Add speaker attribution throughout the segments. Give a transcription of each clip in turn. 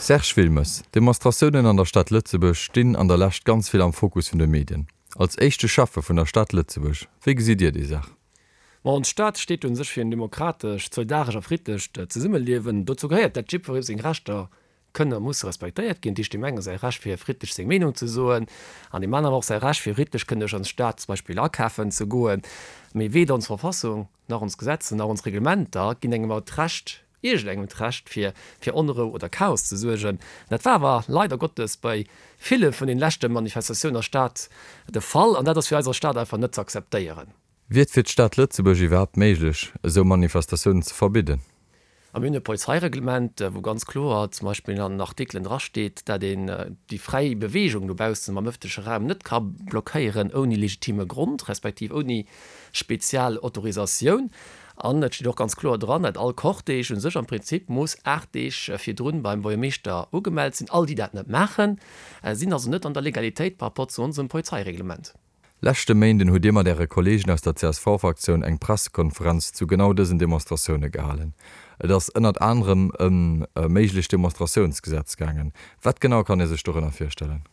Speaker 1: Serge Wilmes, D'Demonstratiounen an der Stad Lëtzebuerg stinn an der Lescht ganz vill am Fokus vun de Medien. Als éischte Schäffe vun der Stad Lëtzebuerg, wéi gesitt Dir déi Saach?
Speaker 2: Ma ons Stad steet un sech fir en demokratescht, solidaresch a friddlecht Zesummeliewen. Dozou gehéiert, dat jiddweree seng Rechter kënnen a musse respektéiert ginn. Dat heescht, deem enge säi Recht fir friddlech seng Meenung ze soen an deem aneren och säi Recht fir friddlech kënnen duerch ons Stad zum Beispill akafen ze goen. Mee weder ons Verfassung nach ons Gesetze nach ons Reglementer ginn engem awer d'Recht, iergendengem d'Recht fir fir Onrou oder Chaos ze suergen. Dat war awer leider Gottes bei ville vun den leschte Manifestatiounen der Stad de Fall an dat ass fir eis als Stad einfach net ze akzeptéieren.
Speaker 1: Wier et fir d'Stad Lëtzebuerg iwwerhaapt méiglech, esou Manifestatiounen ze verbidden?
Speaker 2: A mir hunn e Polizeireglement, wou ganz kloer zum Beispill an den Artikelen drasteet, dat een déi fräi Beweegung dobaussen am ëffentleche Raum net ka blockéieren ouni legitime Grond, respektiv ouni spezial Autorisatioun. An et steet och ganz kloer dran, dat all Cortège u sech am Prinzip muss 8 Deeg virdrun beim Buergermeeschter ugemellt sinn. All déi dat net maachen, sinn also net an der Legalitéit par rapport zu onsem Polizeireglement.
Speaker 1: Leschte Méinden hutt Dir mat Äre Kolleegen aus der CSV-Fraktioun eng Pressekonferenz zu genau dësen Demonstratioune gehalen. Et ass ënnert anerem ëm e méiglecht Demonstratiounsgesetz gaangen. Wat genau kann ee sech dorënner virstellen?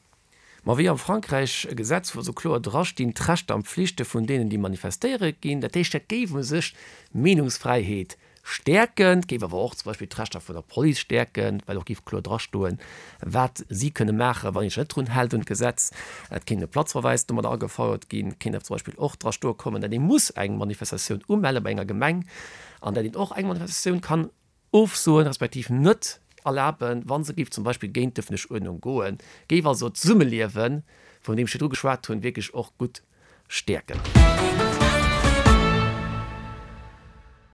Speaker 2: Ma wéi am Frankräich e Gesetz, wou esou kloer drastinn, d'Rechter an d'Pflichte vun deenen, déi manifestéiere ginn. Dat heescht, dat géif u sech d'Meenungsfräiheet stäerken, et géif awer och zum Beispill d'Rechter vun der Police stäerken, well och géif kloer drastoen, wat si kënne maachen, wann ee sech net drun hält un d'Gesetz. Et kéint e Platzverweis domadder agefouert ginn. Et kéint awer zum Beispill och drastoe kommen, datt ee muss eng Manifestatioun umelle bei enger Gemeng an datt een och eng Manifestatioun kann Ofsoen, respektiv net erlaben, wa se géif zum Beispill géint d'ëffentlech Uerdnung goen, géif also d'Zesummeliewen, vun deem ech virdru geschwat hunn, wierklech och gutt stäerken.